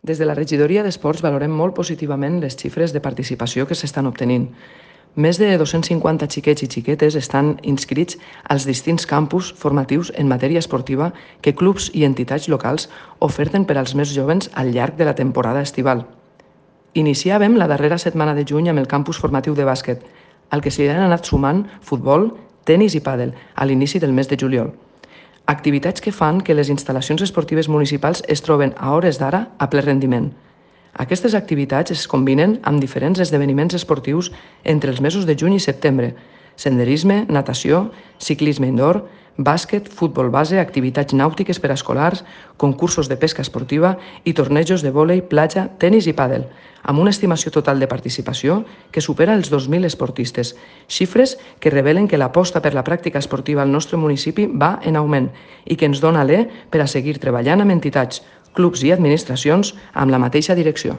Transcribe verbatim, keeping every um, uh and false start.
Des de la regidoria d'Esports valorem molt positivament les xifres de participació que s'estan obtenint. Més de dos-cents cinquanta xiquets i xiquetes estan inscrits als distints campus formatius en matèria esportiva que clubs i entitats locals oferten per als més joves al llarg de la temporada estival. Iniciàvem la darrera setmana de juny amb el campus formatiu de bàsquet, al que s'hi han anat sumant futbol, tenis i pàdel a l'inici del mes de juliol. Activitats que fan que les instal·lacions esportives municipals es troben a hores d'ara a ple rendiment. Aquestes activitats es combinen amb diferents esdeveniments esportius entre els mesos de juny i setembre: senderisme, natació, ciclisme indoor, bàsquet, futbol base, activitats nàutiques per a escolars, concursos de pesca esportiva i tornejos de vòlei, platja, tenis i pàdel, amb una estimació total de participació que supera els dos mil esportistes, xifres que revelen que l'aposta per la pràctica esportiva al nostre municipi va en augment i que ens dona alè per a seguir treballant amb entitats, clubs i administracions amb la mateixa direcció.